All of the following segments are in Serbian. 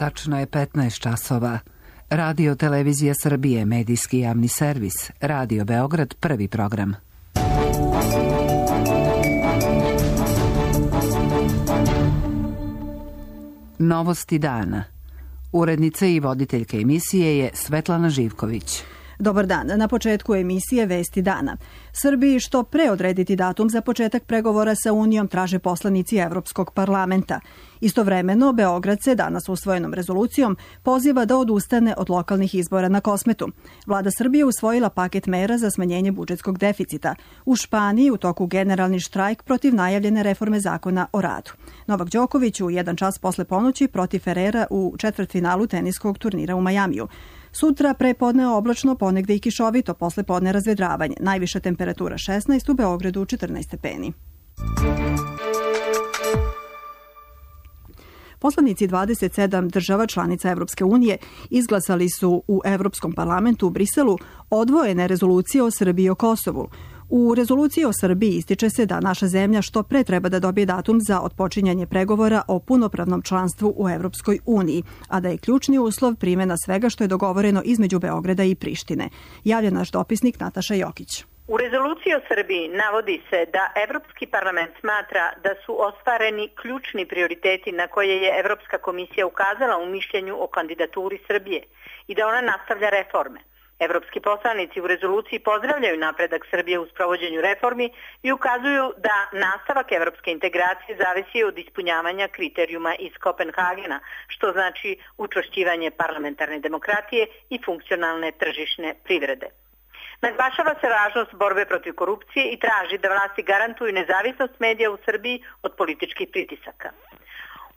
Tačno je 15 časova. Radio Televizija Srbije, medijski javni servis. Radio Beograd, prvi program. Novosti dana. Urednica i voditeljka emisije je Svetlana Živković. Dobar dan. Na početku emisije Vesti dana. Srbiji što pre odrediti datum za početak pregovora sa Unijom traže poslanici Evropskog parlamenta. Istovremeno, Beograd se danas usvojenom rezolucijom poziva da odustane od lokalnih izbora na Kosmetu. Vlada Srbije usvojila paket mera za smanjenje budžetskog deficita. U Španiji u toku generalni štrajk protiv najavljene reforme zakona o radu. Novak Đoković u 1 čas posle ponoći protiv Ferrera u četvrtfinalu teniskog turnira u Majamiju. Sutra prepodne oblačno, ponegde i kišovito, posle podne razvedravanje. Najviša temperatura 16, u Beogradu 14 stepeni. Poslanici 27 država članica Evropske unije izglasali su u Evropskom parlamentu u Briselu odvojene rezolucije o Srbiji i o Kosovu. U rezoluciji o Srbiji ističe se da naša zemlja što pre treba da dobije datum za otpočinjanje pregovora o punopravnom članstvu u Evropskoj uniji, a da je ključni uslov primjena svega što je dogovoreno između Beograda i Prištine. Javlja naš dopisnik Nataša Jokić. U rezoluciji o Srbiji navodi se da Evropski parlament smatra da su ostvareni ključni prioriteti na koje je Evropska komisija ukazala u mišljenju o kandidaturi Srbije i da ona nastavlja reforme. Evropski poslanici u rezoluciji pozdravljaju napredak Srbije u sprovođenju reformi i ukazuju da nastavak evropske integracije zavisi od ispunjavanja kriterijuma iz Kopenhagena, što znači učvršćivanje parlamentarne demokratije i funkcionalne tržišne privrede. Naglašava se važnost borbe protiv korupcije i traži da vlasti garantuju nezavisnost medija u Srbiji od političkih pritisaka.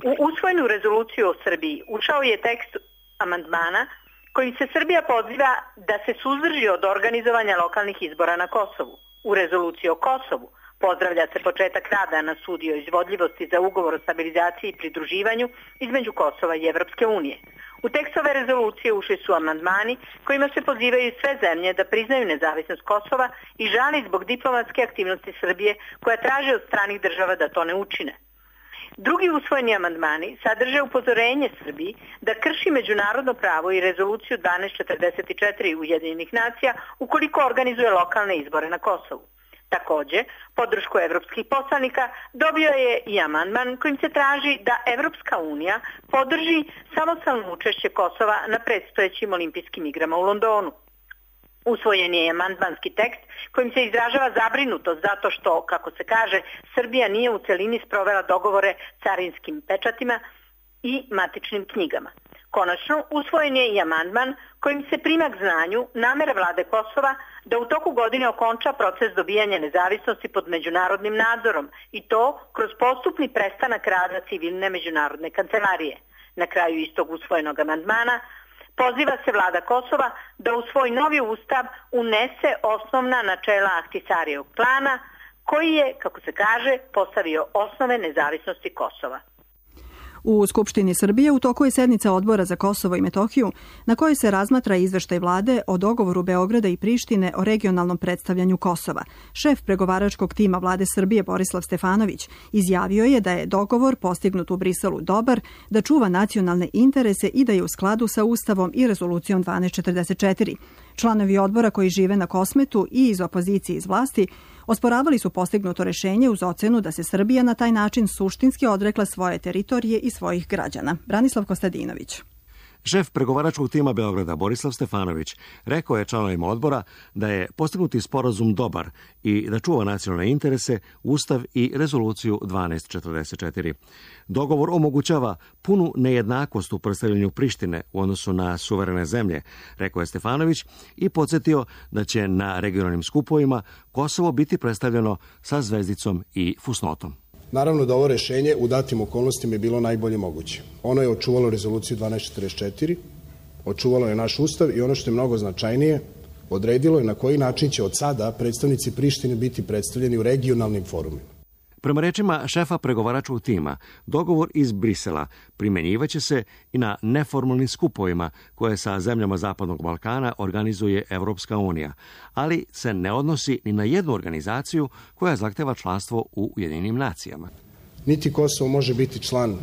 U usvojenu rezoluciju o Srbiji ušao je tekst amandmana kojim se Srbija poziva da se suzdrži od organizovanja lokalnih izbora na Kosovu. U rezoluciji o Kosovu pozdravlja se početak rada na studiji o izvodljivosti za ugovor o stabilizaciji i pridruživanju između Kosova i Evropske unije. U tekst ove rezolucije ušli su amandmani kojima se pozivaju sve zemlje da priznaju nezavisnost Kosova i žali zbog diplomatske aktivnosti Srbije koja traže od stranih država da to ne učine. Drugi usvojeni amandmani sadrže upozorenje Srbiji da krši međunarodno pravo i rezoluciju 1244 Ujedinjenih nacija ukoliko organizuje lokalne izbore na Kosovu. Takođe, podršku evropskih poslanika dobio je i amandman kojim se traži da Evropska unija podrži samostalno učešće Kosova na predstojećim olimpijskim igrama u Londonu. Usvojen je amandmanski tekst kojim se izražava zabrinutost zato što, kako se kaže, Srbija nije u celini sprovela dogovore carinskim pečatima i matičnim knjigama. Konačno, usvojen je i amandman kojim se prima k znanju namera vlade Kosova da u toku godine okonča proces dobijanja nezavisnosti pod međunarodnim nadzorom i to kroz postupni prestanak rada civilne međunarodne kancelarije. Na kraju istog usvojenog amandmana poziva se vlada Kosova da u svoj novi ustav unese osnovna načela Ahtisarijevog plana koji je, kako se kaže, postavio osnove nezavisnosti Kosova. U Skupštini Srbije u toku je sednica Odbora za Kosovo i Metohiju na kojoj se razmatra izveštaj vlade o dogovoru Beograda i Prištine o regionalnom predstavljanju Kosova. Šef pregovaračkog tima vlade Srbije Borislav Stefanović izjavio je da je dogovor postignut u Briselu dobar, da čuva nacionalne interese i da je u skladu sa Ustavom i rezolucijom 1244. Članovi odbora koji žive na Kosmetu i iz opozicije iz vlasti osporavali su postignuto rešenje uz ocenu da se Srbija na taj način suštinski odrekla svoje teritorije i svojih građana. Branislav Kostadinović. Šef pregovaračkog tima Beograda Borislav Stefanović rekao je članovima odbora da je postignuti sporazum dobar i da čuva nacionalne interese, Ustav i rezoluciju 1244. Dogovor omogućava punu nejednakost u predstavljanju Prištine u odnosu na suverene zemlje, rekao je Stefanović i podsjetio da će na regionalnim skupovima Kosovo biti predstavljeno sa zvezdicom i fusnotom. Naravno da ovo rešenje u datim okolnostima je bilo najbolje moguće. Ono je očuvalo rezoluciju 1244, očuvalo je naš ustav i ono što je mnogo značajnije, odredilo je na koji način će od sada predstavnici Prištine biti predstavljeni u regionalnim forumima. Prema rečima šefa pregovaračkog tima, dogovor iz Brisela primjenjivaće se i na neformalnim skupovima koje sa zemljama Zapadnog Balkana organizuje Evropska unija, ali se ne odnosi ni na jednu organizaciju koja zahteva članstvo u Ujedinjenim nacijama. Niti Kosovo može biti član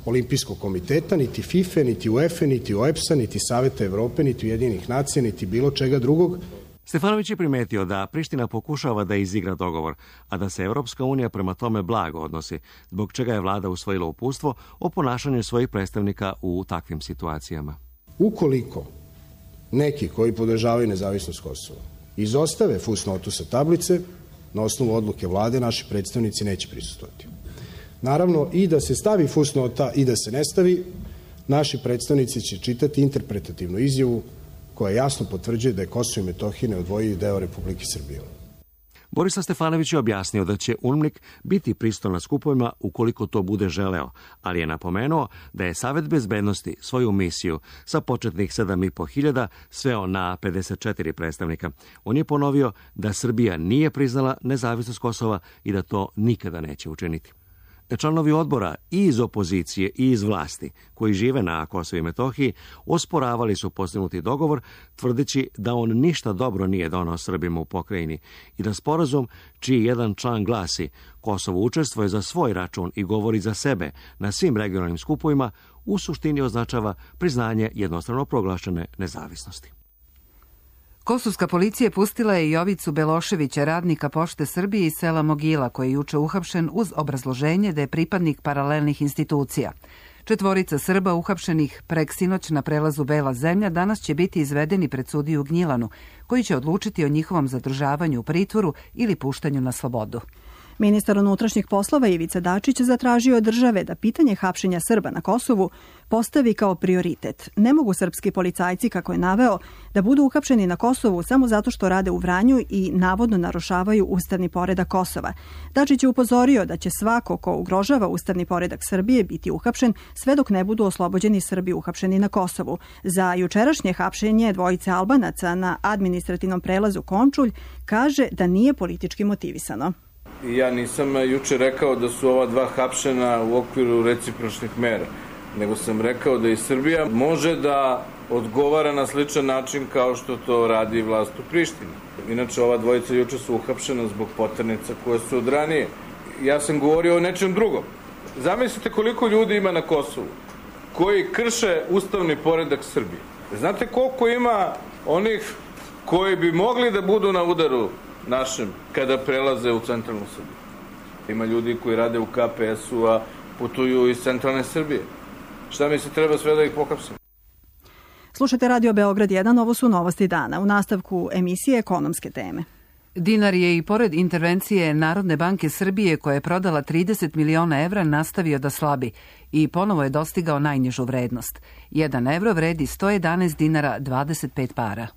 Olimpijskog komiteta, niti FIFA, niti UEFA, niti OEBS-a, niti Saveta Evrope, niti Ujedinjenih nacija, niti bilo čega drugog. Stefanović je primetio da Priština pokušava da izigra dogovor, a da se Evropska unija prema tome blago odnosi, zbog čega je vlada usvojila uputstvo o ponašanju svojih predstavnika u takvim situacijama. Ukoliko neki koji podržavaju nezavisnost Kosova izostave fusnotu sa tablice, na osnovu odluke vlade naši predstavnici neće prisustvovati. Naravno, i da se stavi fusnota i da se ne stavi, naši predstavnici će čitati interpretativnu izjavu koja jasno potvrđuje da je Kosovo i Metohija neodvojivi deo Republike Srbije. Borislav Stefanović je objasnio da će UNMIK biti prisutan na skupovima ukoliko to bude želeo, ali je napomenuo da je Savet bezbednosti svoju misiju sa početnih 7.500 sveo na 54 predstavnika. On je ponovio da Srbija nije priznala nezavisnost Kosova i da to nikada neće učiniti. Članovi odbora i iz opozicije i iz vlasti koji žive na Kosovu i Metohiji osporavali su postignuti dogovor, tvrdeći da on ništa dobro nije donao Srbima u pokrajini i da sporazum čiji jedan član glasi Kosovo učestvuje za svoj račun i govori za sebe na svim regionalnim skupovima u suštini označava priznanje jednostrano proglašene nezavisnosti. Kosovska policija pustila je Jovicu Beloševića, radnika Pošte Srbije iz sela Mogila, koji je juče uhapšen uz obrazloženje da je pripadnik paralelnih institucija. 4 Srba uhapšenih preksinoć na prelazu Bela zemlja danas će biti izvedeni pred sudiju u Gnjilanu, koji će odlučiti o njihovom zadržavanju u pritvoru ili puštanju na slobodu. Ministar unutrašnjih poslova Ivica Dačić zatražio od države da pitanje hapšenja Srba na Kosovu postavi kao prioritet. Ne mogu srpski policajci, kako je naveo, da budu uhapšeni na Kosovu samo zato što rade u Vranju i navodno narušavaju ustavni poredak Kosova. Dačić je upozorio da će svako ko ugrožava ustavni poredak Srbije biti uhapšen sve dok ne budu oslobođeni Srbi uhapšeni na Kosovu. Za jučerašnje hapšenje 2 Albanaca na administrativnom prelazu Končulj kaže da nije politički motivisano. Ja nisam juče rekao da su ova 2 hapšena u okviru recipročnih mera, nego sam rekao da i Srbija može da odgovara na sličan način kao što to radi vlast u Prištini. Inače, ova 2 juče su uhapšena zbog poternica koje su od ranije. Ja sam govorio o nečem drugom. Zamislite koliko ljudi ima na Kosovu koji krše ustavni poredak Srbije. Znate koliko ima onih koji bi mogli da budu na udaru našem kada prelaze u centralnu Srbiju? Ima ljudi koji rade u KPS-u, a putuju iz centralne Srbije. Šta mi se treba sve da ih pohapsim? Slušajte Radio Beograd 1, ovo su novosti dana. U nastavku emisije ekonomske teme. Dinar je i pored intervencije Narodne banke Srbije, koja je prodala 30 miliona evra, nastavio da slabi i ponovo je dostigao najnižu vrednost. 1 evro vredi 111 dinara 25 para.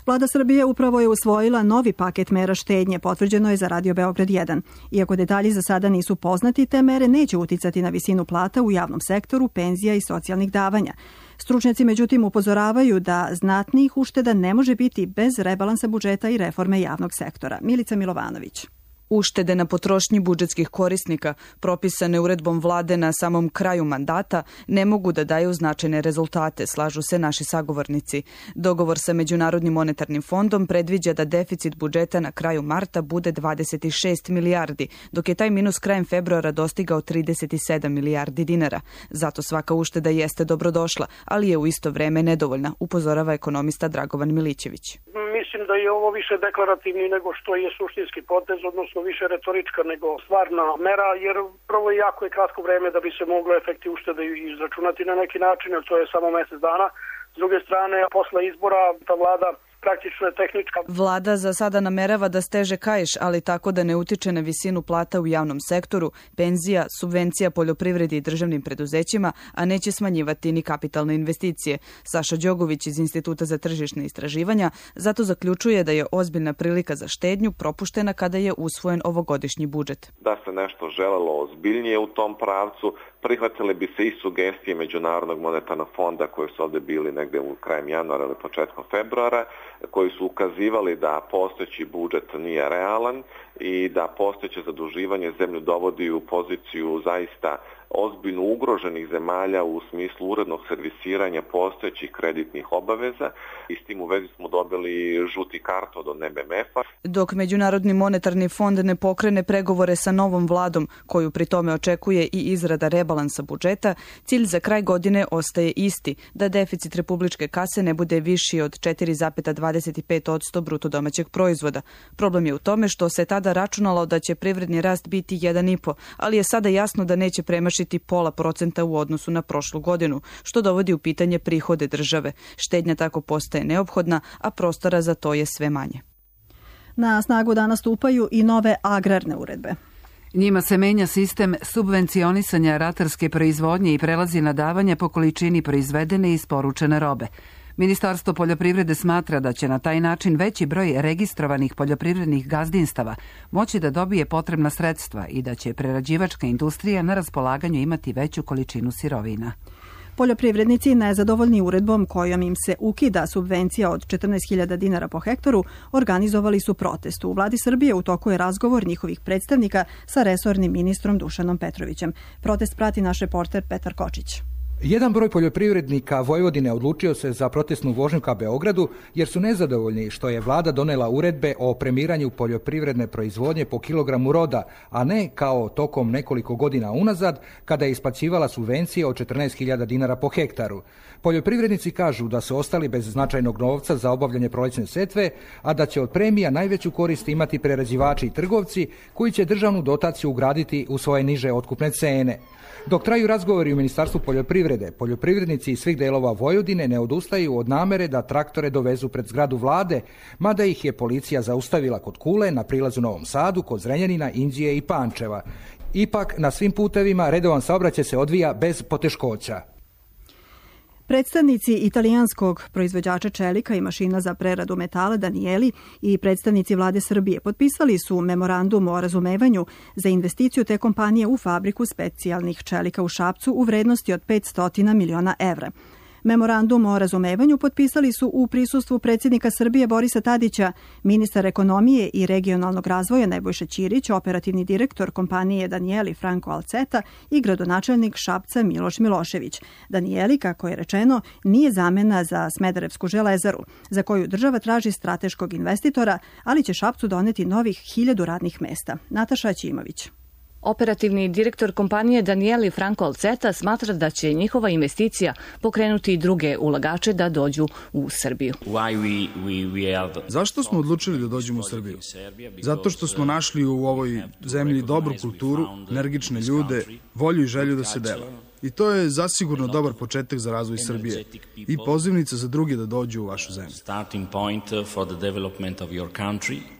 Vlada Srbije upravo je usvojila novi paket mera štednje, potvrđeno je za Radio Beograd 1. Iako detalji za sada nisu poznati, te mere neće uticati na visinu plata u javnom sektoru, penzija i socijalnih davanja. Stručnjaci međutim upozoravaju da znatnijih ušteda ne može biti bez rebalansa budžeta i reforme javnog sektora. Milica Milovanović. Uštede na potrošnji budžetskih korisnika, propisane uredbom vlade na samom kraju mandata, ne mogu da daju značajne rezultate, slažu se naši sagovornici. Dogovor sa Međunarodnim monetarnim fondom predviđa da deficit budžeta na kraju marta bude 26 milijardi, dok je taj minus krajem februara dostigao 37 milijardi dinara. Zato svaka ušteda jeste dobrodošla, ali je u isto vreme nedovoljna, upozorava ekonomista Dragovan Milićević. Mislim da je ovo više deklarativni nego što je suštinski potez, odnosno više retorička nego stvarna mera, jer prvo je jako kratko vreme da bi se moglo efekti uštede izračunati na neki način, jer to je samo mesec dana. S druge strane, posle izbora ta vlada praktično je tehnička. Vlada za sada namerava da steže kaiš, ali tako da ne utiče na visinu plata u javnom sektoru, penzija, subvencija poljoprivredi i državnim preduzećima, a neće smanjivati ni kapitalne investicije. Saša Đogović iz Instituta za tržišne istraživanja zato zaključuje da je ozbiljna prilika za štednju propuštena kada je usvojen ovogodišnji budžet. Da se nešto želelo ozbiljnije u tom pravcu, prihvatile bi se i sugestije Međunarodnog monetarnog fonda koji su ovde bili negde u krajem januara ili početkom februara, koji su ukazivali da postojeći budžet nije realan i da postojeće zaduživanje zemlju dovodi u poziciju zaista ozbiljno ugroženih zemalja u smislu urednog servisiranja postojećih kreditnih obaveza i s tim u vezi smo dobili žuti karton od MMF-a. Dok Međunarodni monetarni fond ne pokrene pregovore sa novom vladom, koju pri tome očekuje i izrada rebalansa budžeta, cilj za kraj godine ostaje isti, da deficit republičke kase ne bude viši od 4,25% bruto domaćeg proizvoda. Problem je u tome što se tada računalo da će privredni rast biti 1,5%, ali je sada jasno da neće premašiti 0,5% u odnosu na prošlu godinu, što dovodi u pitanje prihode države. Štednja tako postaje neophodna, a prostora za to je sve manje. Na snagu danas stupaju i nove agrarne uredbe. Njima se menja sistem subvencionisanja ratarske proizvodnje i prelazi na davanje po količini proizvedene i isporučene robe. Ministarstvo poljoprivrede smatra da će na taj način veći broj registrovanih poljoprivrednih gazdinstava moći da dobije potrebna sredstva i da će prerađivačka industrija na raspolaganju imati veću količinu sirovina. Poljoprivrednici nezadovoljni uredbom kojom im se ukida subvencija od 14.000 dinara po hektaru organizovali su protest. U vladi Srbije u toku je razgovor njihovih predstavnika sa resornim ministrom Dušanom Petrovićem. Protest prati naš reporter Petar Kočić. Jedan broj poljoprivrednika Vojvodine odlučio se za protestnu vožnju ka Beogradu jer su nezadovoljni što je vlada donela uredbe o premiranju poljoprivredne proizvodnje po kilogramu roda, a ne kao tokom nekoliko godina unazad kada je isplaćivala subvencije od 14.000 dinara po hektaru. Poljoprivrednici kažu da su ostali bez značajnog novca za obavljanje prolećne setve, a da će od premija najveću korist imati prerađivači i trgovci koji će državnu dotaciju ugraditi u svoje niže otkupne cene. Dok traju razgovori u Ministarstvu poljoprivrede, poljoprivrednici iz svih delova Vojvodine ne odustaju od namere da traktore dovezu pred zgradu vlade, mada ih je policija zaustavila kod Kule, na prilazu Novom Sadu, kod Zrenjanina, Inđije i Pančeva. Ipak, na svim putevima redovan saobraćaj se odvija bez poteškoća. Predstavnici italijanskog proizvođača čelika i mašina za preradu metala Danieli i predstavnici vlade Srbije potpisali su memorandum o razumevanju za investiciju te kompanije u fabriku specijalnih čelika u Šapcu u vrednosti od 500 miliona evra. Memorandum o razumevanju potpisali su u prisustvu predsjednika Srbije Borisa Tadića, ministar ekonomije i regionalnog razvoja Nebojša Ćirić, operativni direktor kompanije Danieli Franco Alceta i gradonačelnik Šapca Miloš Milošević. Danieli, kako je rečeno, nije zamena za Smederevsku železaru, za koju država traži strateškog investitora, ali će Šapcu doneti novih 1000 radnih mesta. Nataša Ćimović. Operativni direktor kompanije Danieli Franco Alceta smatra da će njihova investicija pokrenuti i druge ulagače da dođu u Srbiju. Zašto smo odlučili da dođemo u Srbiju? Zato što smo našli u ovoj zemlji dobru kulturu, energične ljude, volju i želju da se dela. I to je zasigurno dobar početak za razvoj Srbije i pozivnica za druge da dođu u vašu zemlju.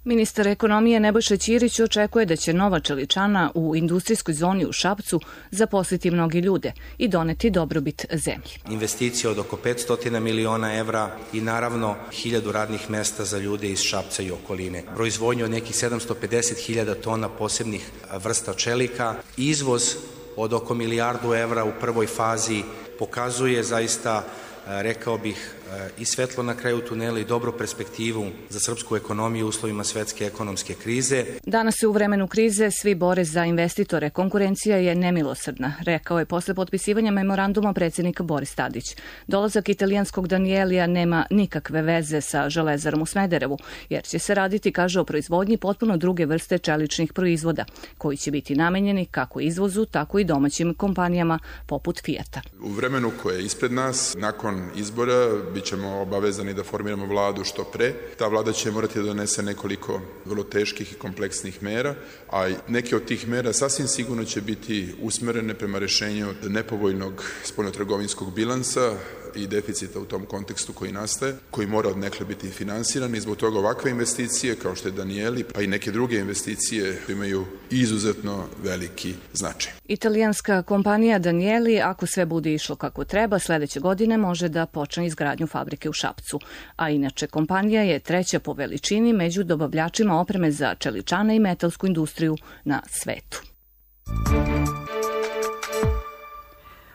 Ministar ekonomije Nebojša Ćirić očekuje da će nova čeličana u industrijskoj zoni u Šapcu zaposliti mnogi ljude i doneti dobrobit zemlji. Investicija od oko 500 miliona evra i naravno 1000 radnih mesta za ljude iz Šapca i okoline. Proizvodnju od nekih 750.000 tona posebnih vrsta čelika, izvoz od oko 1 milijardu evra u prvoj fazi pokazuje zaista, rekao bih, i svetlo na kraju tunela i dobru perspektivu za srpsku ekonomiju u uslovima svetske ekonomske krize. Danas se u vremenu krize svi bore za investitore. Konkurencija je nemilosrdna, rekao je posle potpisivanja memoranduma predsjednik Boris Tadić. Dolazak italijanskog Danielija nema nikakve veze sa železarom u Smederevu, jer će se raditi, kaže, o proizvodnji potpuno druge vrste čeličnih proizvoda, koji će biti namenjeni kako izvozu, tako i domaćim kompanijama poput Fijata. U vremenu koje je ispred nas, nakon izbora, bit ćemo obavezani da formiramo vladu što pre. Ta vlada će morati da donese nekoliko vrlo teških i kompleksnih mera, a neke od tih mera sasvim sigurno će biti usmerene prema rešenju nepovoljnog spoljnotrgovinskog bilansa i deficita u tom kontekstu koji nastaje, koji mora odnekle biti finansiran i zbog toga ovakve investicije kao što je Danieli, pa i neke druge investicije imaju izuzetno veliki značaj. Italijanska kompanija Danieli, ako sve bude išlo kako treba, sledeće godine može da počne izgradnju fabrike u Šapcu. A inače, kompanija je treća po veličini među dobavljačima opreme za čeličane i metalsku industriju na svetu.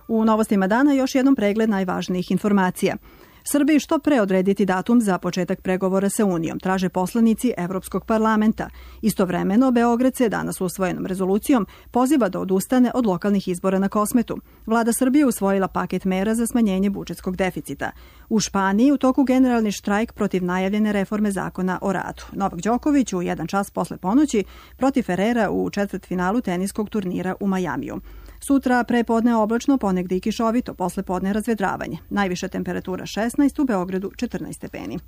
U novostima dana još jednom pregled najvažnijih informacija. Srbiji što pre odrediti datum za početak pregovora sa Unijom, traže poslanici Evropskog parlamenta. Istovremeno, Beograd se danas usvojenom rezolucijom poziva da odustane od lokalnih izbora na Kosmetu. Vlada Srbije usvojila paket mera za smanjenje budžetskog deficita. U Španiji u toku generalni štrajk protiv najavljene reforme zakona o radu. Novak Đoković u 1 čas posle ponoći protiv Ferrera u četvrtfinalu teniskog turnira u Majamiju. Sutra prepodne oblačno, ponegde i kišovito, posle podne razvedravanje. Najviša temperatura 16, u Beogradu 14 stepeni.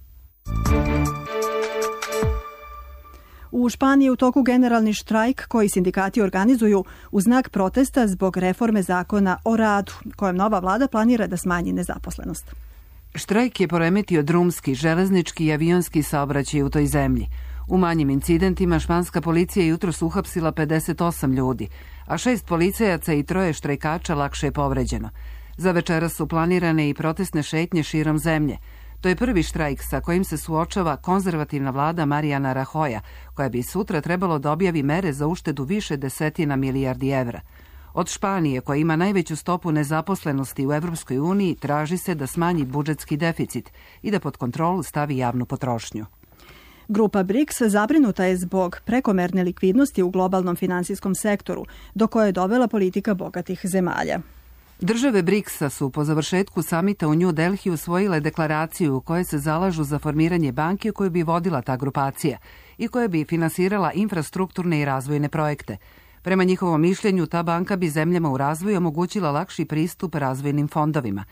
U Španiji u toku generalni štrajk koji sindikati organizuju u znak protesta zbog reforme zakona o radu, kojem nova vlada planira da smanji nezaposlenost. Štrajk je poremetio drumski, železnički i avionski saobraćaj u toj zemlji. U manjim incidentima španska policija jutros uhapsila 58 ljudi, a 6 policajaca i 3 štrajkača lakše je povređeno. Za večeras su planirane i protestne šetnje širom zemlje. To je prvi štrajk sa kojim se suočava konzervativna vlada Mariana Rajoja, koja bi sutra trebalo da objavi mere za uštedu više desetina milijardi evra. Od Španije, koja ima najveću stopu nezaposlenosti u Evropskoj uniji, traži se da smanji budžetski deficit i da pod kontrolu stavi javnu potrošnju. Grupa BRICS zabrinuta je zbog prekomerne likvidnosti u globalnom finansijskom sektoru, do koje je dovela politika bogatih zemalja. Države BRICS-a su po završetku samita u New Delhi usvojile deklaraciju u kojoj se zalažu za formiranje banke koju bi vodila ta grupacija i koja bi finansirala infrastrukturne i razvojne projekte. Prema njihovom mišljenju, ta banka bi zemljama u razvoju omogućila lakši pristup razvojnim fondovima.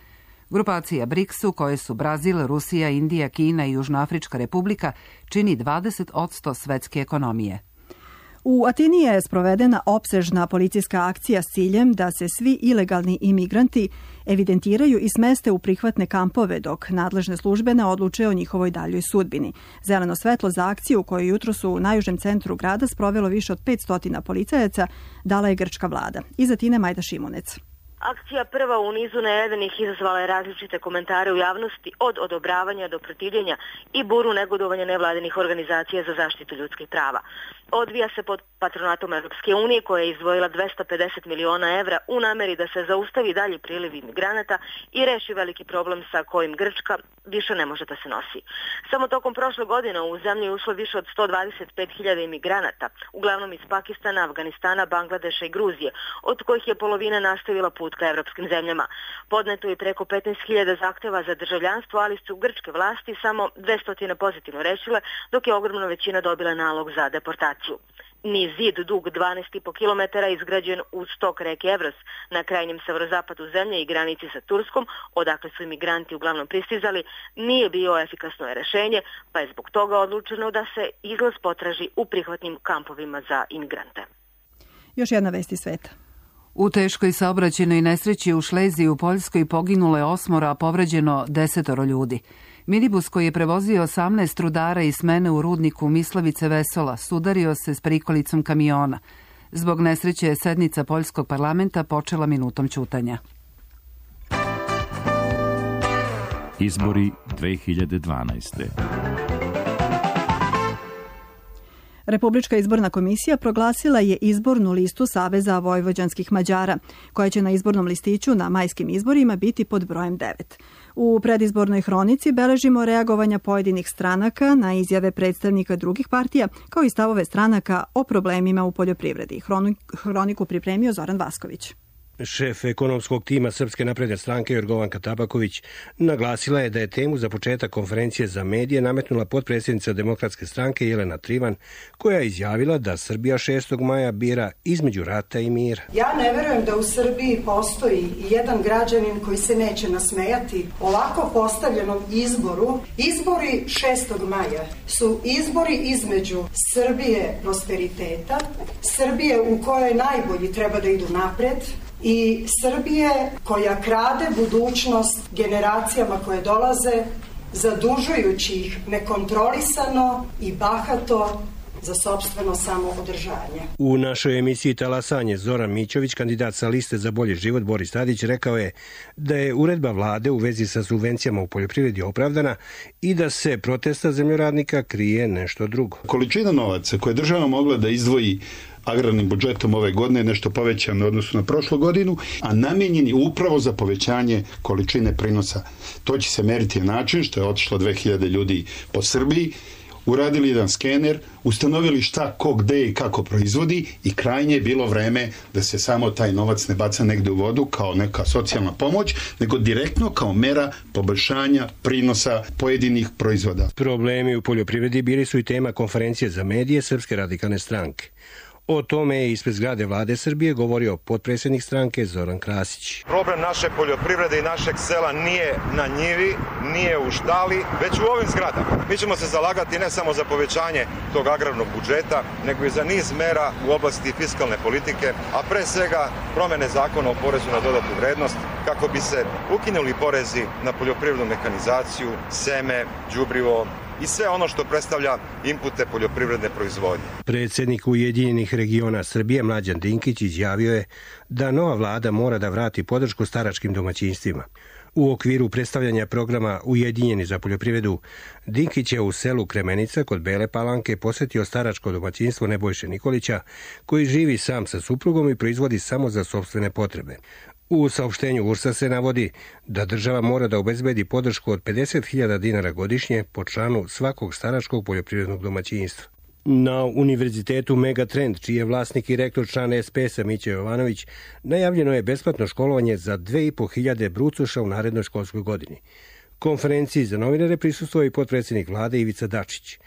Grupacija BRICS-u, koje su Brazil, Rusija, Indija, Kina i Južnoafrička republika, čini 20% svetske ekonomije. U Atini je sprovedena opsežna policijska akcija s ciljem da se svi ilegalni imigranti evidentiraju i smeste u prihvatne kampove dok nadležne službe ne odluče o njihovoj daljoj sudbini. Zeleno svetlo za akciju koju jutro su u najužem centru grada sprovelo više od 500 policajaca dala je grčka vlada. Iz Atine Majda Šimunec. Akcija prva u nizu najavljenih izazvala je različite komentare u javnosti od odobravanja do protivljenja i buru negodovanja nevladinih organizacija za zaštitu ljudskih prava. Odvija se pod patronatom Evropske unije koja je izdvojila 250 miliona evra u nameri da se zaustavi dalji priliv imigranata i reši veliki problem sa kojim Grčka više ne može da se nosi. Samo tokom prošle godine u zemlji je ušlo više od 125.000 imigranata, uglavnom iz Pakistana, Afganistana, Bangladeša i Gruzije, od kojih je polovina nastavila put ka evropskim zemljama. Podneto je preko 15.000 zahteva za državljanstvo, ali su grčke vlasti samo 200 pozitivno rešile, dok je ogromna većina dobila nalog za deportaciju. Niz zid dug 12,5 km izgrađen uz tok reke Evros na krajnjem severozapadu zemlje i granici sa Turskom, odakle su imigranti uglavnom pristizali, nije bio efikasno rešenje, pa je zbog toga odlučeno da se izlaz potraži u prihvatnim kampovima za imigrante. Još jedna vest iz sveta. U teškoj saobraćajnoj nesreći u Šleziji u Poljskoj poginulo je 8, a povređeno 10 ljudi. Minibus koji je prevozio 18 rudara iz smene u rudniku Mislavice Vesola sudario se s prikolicom kamiona. Zbog nesreće je sednica Poljskog parlamenta počela minutom ćutanja. Izbori 2012. Republička izborna komisija proglasila je izbornu listu Saveza vojvođanskih Mađara, koja će na izbornom listiću na majskim izborima biti pod brojem 9. U predizbornoj hronici beležimo reagovanja pojedinih stranaka na izjave predstavnika drugih partija, kao i stavove stranaka o problemima u poljoprivredi. Hroniku pripremio Zoran Vasković. Šef ekonomskog tima Srpske napredne stranke Jorgovanka Tabaković naglasila je da je temu za početak konferencije za medije nametnula potpredsjednica Demokratske stranke Jelena Trivan, koja je izjavila da Srbija 6. maja bira između rata i mira. Ja ne verujem da u Srbiji postoji jedan građanin koji se neće nasmejati ovako postavljenom izboru. Izbori 6. maja su izbori između Srbije prosperiteta, Srbije u kojoj najbolji treba da idu napred, i Srbije koja krade budućnost generacijama koje dolaze, zadužujući ih nekontrolisano i bahato za sopstveno samoodržanje. U našoj emisiji Talasanje Zoran Mićović, kandidat sa liste za bolji život Boris Tadić, rekao je da je uredba vlade u vezi sa subvencijama u poljoprivredi opravdana i da se protesta zemljoradnika krije nešto drugo. Količina novaca koje država mogla da izdvoji agrarnim budžetom ove godine nešto povećan u odnosu na prošlu godinu, a namijenjen je upravo za povećanje količine prinosa. To će se meriti na način što je otišlo 2000 ljudi po Srbiji, uradili jedan skener, ustanovili šta, ko, gde i kako proizvodi i krajnje je bilo vreme da se samo taj novac ne baca negde u vodu kao neka socijalna pomoć, nego direktno kao mera poboljšanja prinosa pojedinih proizvoda. Problemi u poljoprivredi bili su i tema konferencije za medije Srpske radikalne stranke. O tome je ispred zgrade Vlade Srbije govorio potpredsjednik stranke Zoran Krasić. Problem naše poljoprivrede i našeg sela nije na njivi, nije u štali, već u ovim zgradama. Mi ćemo se zalagati ne samo za povećanje tog agrarnog budžeta, nego i za niz mera u oblasti fiskalne politike, a pre svega promene zakona o porezu na dodatnu vrednost, kako bi se ukinuli porezi na poljoprivrednu mehanizaciju, seme, đubrivo i sve ono što predstavlja inpute poljoprivredne proizvodnje. Predsjednik Ujedinjenih regiona Srbije Mlađan Dinkić izjavio je da nova vlada mora da vrati podršku staračkim domaćinstvima. U okviru predstavljanja programa Ujedinjeni za poljoprivredu, Dinkić je u selu Kremenica kod Bele Palanke posjetio staračko domaćinstvo Nebojše Nikolića, koji živi sam sa suprugom i proizvodi samo za sopstvene potrebe. U saopštenju URS-a se navodi da država mora da obezbedi podršku od 50.000 dinara godišnje po članu svakog staračkog poljoprivrednog domaćinstva. Na Univerzitetu Megatrend, čiji je vlasnik i rektor član SPS-a Mića Jovanović, najavljeno je besplatno školovanje za 2.500 brucoša u narednoj školskoj godini. Konferenciji za novinare prisustvovao i potpredsjednik vlade Ivica Dačić.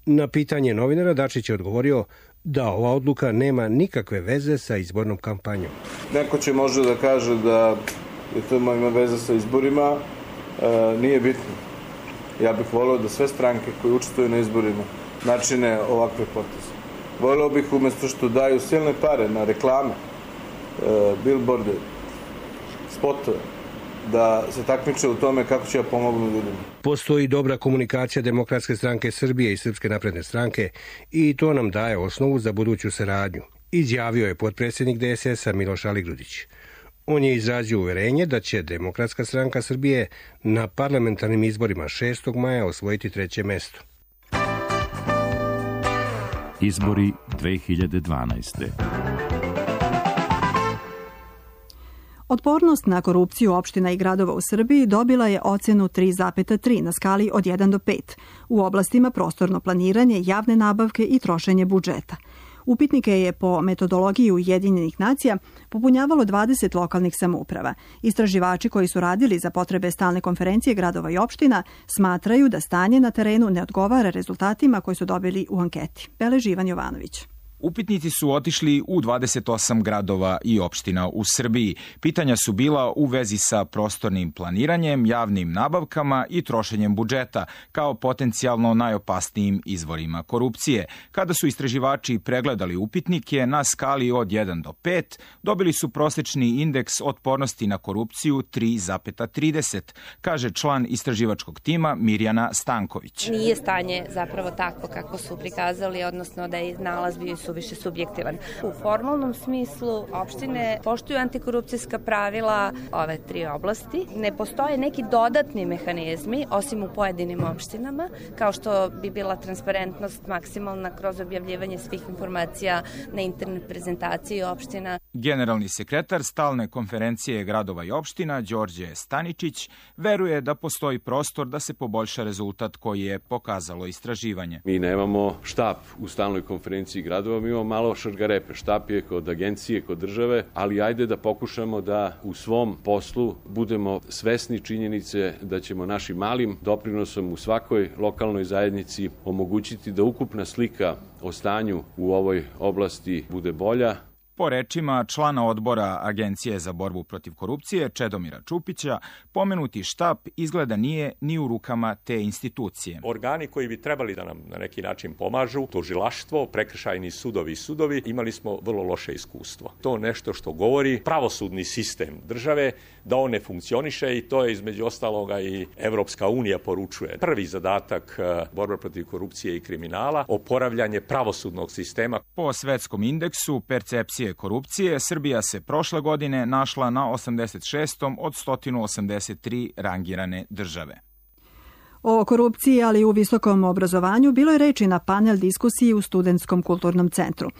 Na pitanje novinara Dačić je odgovorio da ova odluka nema nikakve veze sa izbornom kampanjom. Neko će možda da kaže da je to ima veze sa izborima, nije bitno. Ja bih volio da sve stranke koje učestvuju na izborima načine ovakve poteze. Volio bih umjesto što daju silne pare na reklame, billboarde, spotove, da se takmiče u tome kako će ja pomognu ljudima. Postoji dobra komunikacija Demokratske stranke Srbije i Srpske napredne stranke i to nam daje osnovu za buduću saradnju, izjavio je potpredsjednik DSS-a Miloš Aligrudić. On je izrazio uverenje da će Demokratska stranka Srbije na parlamentarnim izborima 6. maja osvojiti 3. mesto. Izbori 2012. Otpornost na korupciju opština i gradova u Srbiji dobila je ocenu 3,3 na skali od 1 do 5 u oblastima prostorno planiranje, javne nabavke i trošenje budžeta. Upitnike je po metodologiji Ujedinjenih nacija popunjavalo 20 lokalnih samouprava. Istraživači koji su radili za potrebe stalne konferencije gradova i opština smatraju da stanje na terenu ne odgovara rezultatima koji su dobili u anketi. Beleži Ivan Jovanović. Upitnici su otišli u 28 gradova i opština u Srbiji. Pitanja su bila u vezi sa prostornim planiranjem, javnim nabavkama i trošenjem budžeta, kao potencijalno najopasnijim izvorima korupcije. Kada su istraživači pregledali upitnike na skali od 1 do 5, dobili su prosečni indeks otpornosti na korupciju 3,30, kaže član istraživačkog tima Mirjana Stanković. Nije stanje zapravo takvo kako su prikazali, odnosno da je nalaz bio suviše subjektivan. U formalnom smislu opštine poštuju antikorupcijska pravila ove 3 oblasti. Ne postoje neki dodatni mehanizmi, osim u pojedinim opštinama, kao što bi bila transparentnost maksimalna kroz objavljivanje svih informacija na internet prezentaciji opština. Generalni sekretar stalne konferencije gradova i opština Đorđe Staničić veruje da postoji prostor da se poboljša rezultat koji je pokazalo istraživanje. Mi nemamo štab u stalnoj konferenciji gradova, mi imamo malo šargarepe. Štab je kod agencije, kod države, ali ajde da pokušamo da u svom poslu budemo svesni činjenice da ćemo našim malim doprinosom u svakoj lokalnoj zajednici omogućiti da ukupna slika o stanju u ovoj oblasti bude bolja. Po rečima člana odbora Agencije za borbu protiv korupcije Čedomira Čupića, pomenuti štab izgleda nije ni u rukama te institucije. Organi koji bi trebali da nam na neki način pomažu, tužilaštvo, prekršajni sudovi, imali smo vrlo loše iskustvo. To nešto što govori pravosudni sistem države, da on ne funkcioniše i to je između ostaloga i Evropska unija poručuje. Prvi zadatak borba protiv korupcije i kriminala, oporavljanje pravosudnog sistema. Po svetskom indeksu percepcije korupcije, Srbija se prošle godine našla na 86. od 183 rangirane države. O korupciji, ali i u visokom obrazovanju, bilo je reči na panel diskusiji u Studentskom kulturnom centru.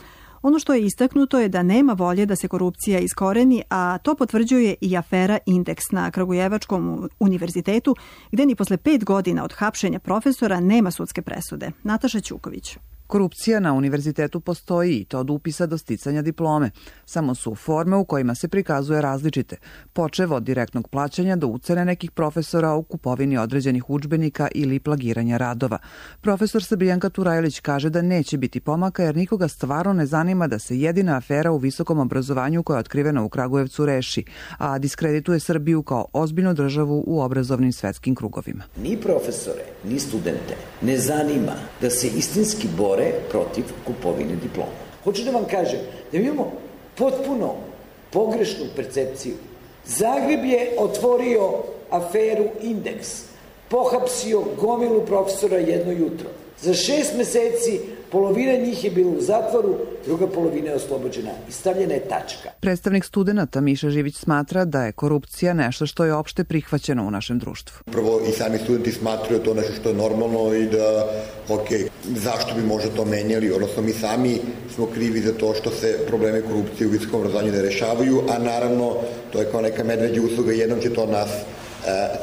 Ono što je istaknuto je da nema volje da se korupcija iskoreni, a to potvrđuje i afera Indeks na Kragujevačkom univerzitetu, gde ni posle 5 godina od hapšenja profesora nema sudske presude. Nataša Ćuković. Korupcija na univerzitetu postoji i to od upisa do sticanja diplome. Samo su forme u kojima se prikazuje različite, počev od direktnog plaćanja do ucene nekih profesora u kupovini određenih udžbenika ili plagiranja radova. Profesor Srbijanka Turajlić kaže da neće biti pomaka jer nikoga stvarno ne zanima da se jedina afera u visokom obrazovanju koja je otkrivena u Kragujevcu reši, a diskredituje Srbiju kao ozbiljnu državu u obrazovnim svetskim krugovima. Ni profesore, ni studente ne zanima da se istinski bore protiv kupovine diploma. Hoću da vam kažem da mi imamo potpuno pogrešnu percepciju. Zagreb je otvorio aferu Indeks, pohapsio gomilu profesora jedno jutro. Za 6 meseci polovina njih je bila u zatvoru, druga polovina je oslobođena i stavljena je tačka. Predstavnik studenata Miša Živić smatra da je korupcija nešto što je opšte prihvaćeno u našem društvu. Prvo i sami studenti smatraju to nešto što je normalno i da, zašto bi možda to menjali, odnosno mi sami smo krivi za to što se probleme korupcije u visokom obrazovanju ne rešavaju, a naravno to je kao neka medveđa usluga, jednom će to nas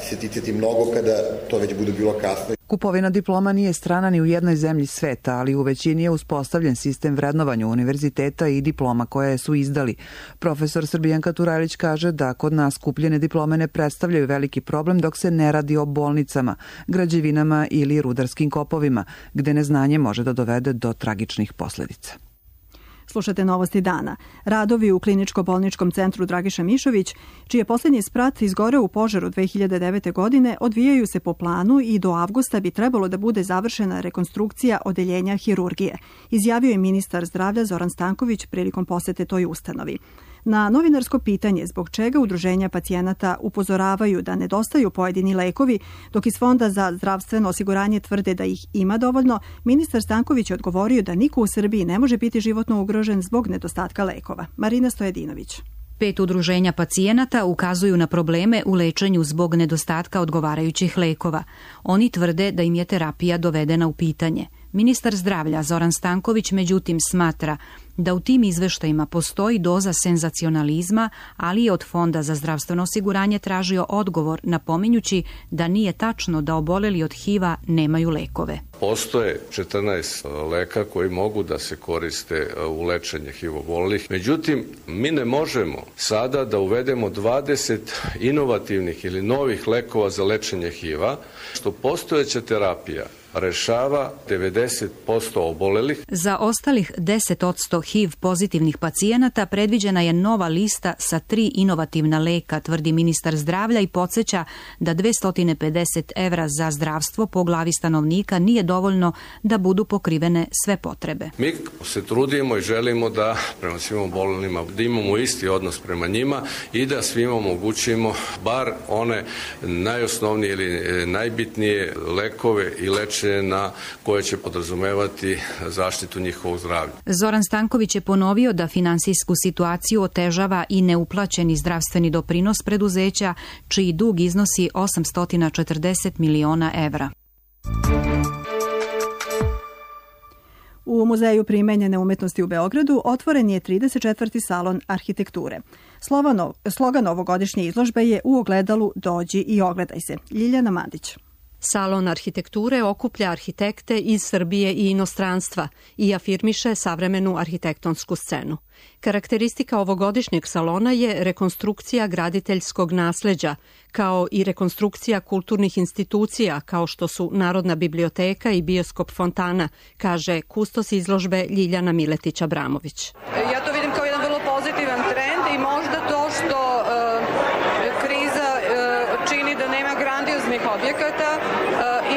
se ticati mnogo kada to već bude bilo kasno. Kupovina diploma nije strana ni u jednoj zemlji sveta, ali u većini je uspostavljen sistem vrednovanja univerziteta i diploma koje su izdali. Profesor Srbijanka Turajlić kaže da kod nas kupljene diplome ne predstavljaju veliki problem dok se ne radi o bolnicama, građevinama ili rudarskim kopovima, gde neznanje može da dovede do tragičnih posledica. Slušate Novosti dana. Radovi u kliničko-bolničkom centru Dragiša Mišović, čiji je poslednji sprat izgoreo u požaru 2009. godine, odvijaju se po planu i do avgusta bi trebalo da bude završena rekonstrukcija odeljenja hirurgije, izjavio je ministar zdravlja Zoran Stanković prilikom posete toj ustanovi. Na novinarsko pitanje zbog čega udruženja pacijenata upozoravaju da nedostaju pojedini lekovi, dok iz Fonda za zdravstveno osiguranje tvrde da ih ima dovoljno, ministar Stanković je odgovorio da niko u Srbiji ne može biti životno ugrožen zbog nedostatka lekova. Marina Stojedinović. 5 udruženja pacijenata ukazuju na probleme u lečenju zbog nedostatka odgovarajućih lekova. Oni tvrde da im je terapija dovedena u pitanje. Ministar zdravlja Zoran Stanković međutim smatra da u tim izveštajima postoji doza senzacionalizma, ali je od Fonda za zdravstveno osiguranje tražio odgovor, napominjući da nije tačno da oboleli od HIV-a nemaju lekove. Postoje 14 leka koji mogu da se koriste u lečenje HIV obolelih. Međutim, mi ne možemo sada da uvedemo 20 inovativnih ili novih lekova za lečenje HIV-a, što postojeća terapija rešava 90% obolelih. Za ostalih 10% HIV pozitivnih pacijenata predviđena je nova lista sa 3 inovativna leka, tvrdi ministar zdravlja i podsjeća da 250 evra za zdravstvo po glavi stanovnika nije dovoljno da budu pokrivene sve potrebe. Mi se trudimo i želimo da prema svim obolelima da imamo isti odnos prema njima i da svima omogućimo bar one najosnovnije ili najbitnije lekove i lečenje na koje će podrazumevati zaštitu njihovog zdravlja. Zoran Stanković je ponovio da finansijsku situaciju otežava i neuplaćeni zdravstveni doprinos preduzeća, čiji dug iznosi 840 miliona evra. U Muzeju primenjene umetnosti u Beogradu otvoren je 34. salon arhitekture. Slogan ovogodišnje izložbe je U ogledalu dođi i ogledaj se. Ljiljana Mandić. Salon arhitekture okuplja arhitekte iz Srbije i inostranstva i afirmiše savremenu arhitektonsku scenu. Karakteristika ovogodišnjeg salona je rekonstrukcija graditeljskog nasleđa, kao i rekonstrukcija kulturnih institucija kao što su Narodna biblioteka i bioskop Fontana, kaže kustos izložbe Ljiljana Miletić-Abramović. Ja to vidim kao jedan vrlo pozitivan trend i možda to što kriza čini da nema grandioznih objekata,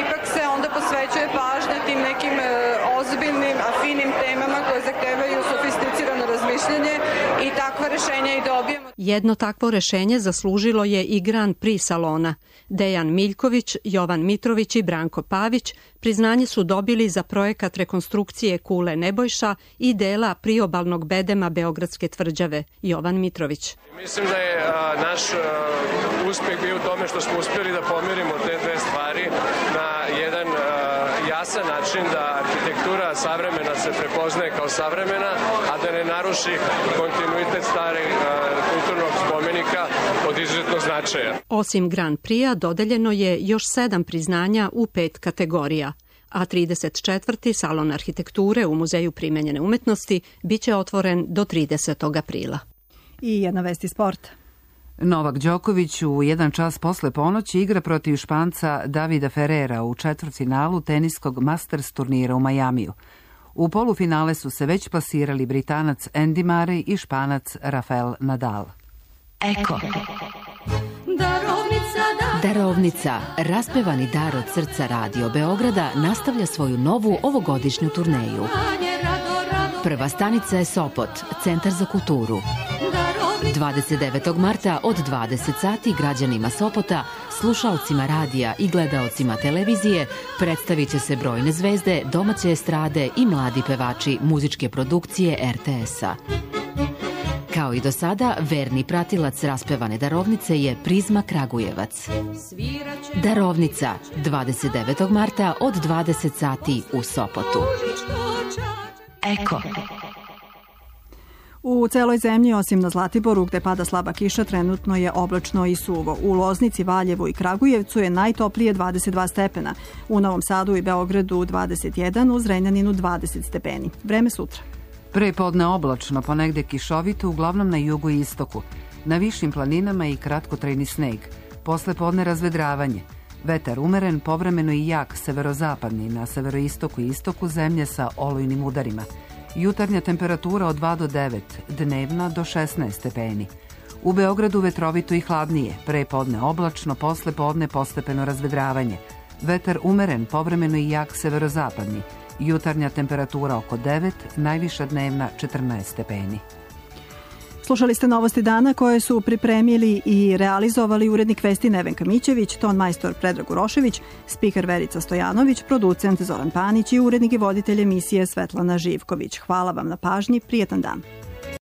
ipak se onda posvećuje pažnja tim nekim ozbiljnim, a finim temama koje zahtevaju sofisticirano razmišljanje i takva rešenja i dobijemo. Jedno takvo rešenje zaslužilo je i Grand Prix salona. Dejan Miljković, Jovan Mitrović i Branko Pavić priznanje su dobili za projekat rekonstrukcije kule Nebojša i dela priobalnog bedema Beogradske tvrđave. Jovan Mitrović. Mislim da je naš uspeh bio u tome što smo uspjeli da pomirimo te dve stvari na jedan jasan jasan način da arhitektura savremena se prepoznaje kao savremena, a da ne naruši kontinuitet stareg kulturnog spomenika od izuzetnog značaja. Osim Grand Prix-a dodeljeno je još 7 priznanja u 5 kategorija, a 34. salon arhitekture u Muzeju primenjene umetnosti biće otvoren do 30. aprila. I jedna vest iz sporta. Novak Đoković u 1 čas posle ponoći igra protiv Španca Davida Ferrera u četvrtfinalu teniskog Masters turnira u Majamiju. U polufinale su se već plasirali Britanac Andy Murray i Španac Rafael Nadal. Eko. Darovnica, raspevani dar od srca Radio Beograda, nastavlja svoju novu ovogodišnju turneju. Prva stanica je Sopot, Centar za kulturu. 29. marta od 20 sati građanima Sopota, slušaocima radija i gledaocima televizije predstavit će se brojne zvezde, domaće estrade i mladi pevači muzičke produkcije RTS-a. Kao i do sada, verni pratilac raspevane darovnice je Prizma Kragujevac. Darovnica, 29. marta od 20 sati u Sopotu. Eko. U celoj zemlji, osim na Zlatiboru, gde pada slaba kiša, trenutno je oblačno i suvo. U Loznici, Valjevu i Kragujevcu je najtoplije 22 stepena. U Novom Sadu i Beogradu 21, u Zrenjaninu 20 stepeni. Vreme sutra. Prepodne oblačno, ponegde kišovito, uglavnom na jugu i istoku. Na višim planinama i kratkotrajni sneg. Posle podne razvedravanje. Vetar umeren, povremeno i jak severozapadni, na severoistoku i istoku zemlje sa olujnim udarima. Jutarnja temperatura od 2 do 9, dnevna do 16 stepeni. U Beogradu vetrovito i hladnije, prepodne oblačno, posle podne postepeno razvedravanje. Vetar umeren, povremeno i jak severozapadni. Jutarnja temperatura oko 9, najviša dnevna 14 stepeni. Slušali ste novosti dana koje su pripremili i realizovali urednik vesti Nevenka Mićević, ton majstor Predrag Urošević, spiker Verica Stojanović, producent Zoran Panić i urednik i voditelj emisije Svetlana Živković. Hvala vam na pažnji, prijetan dan.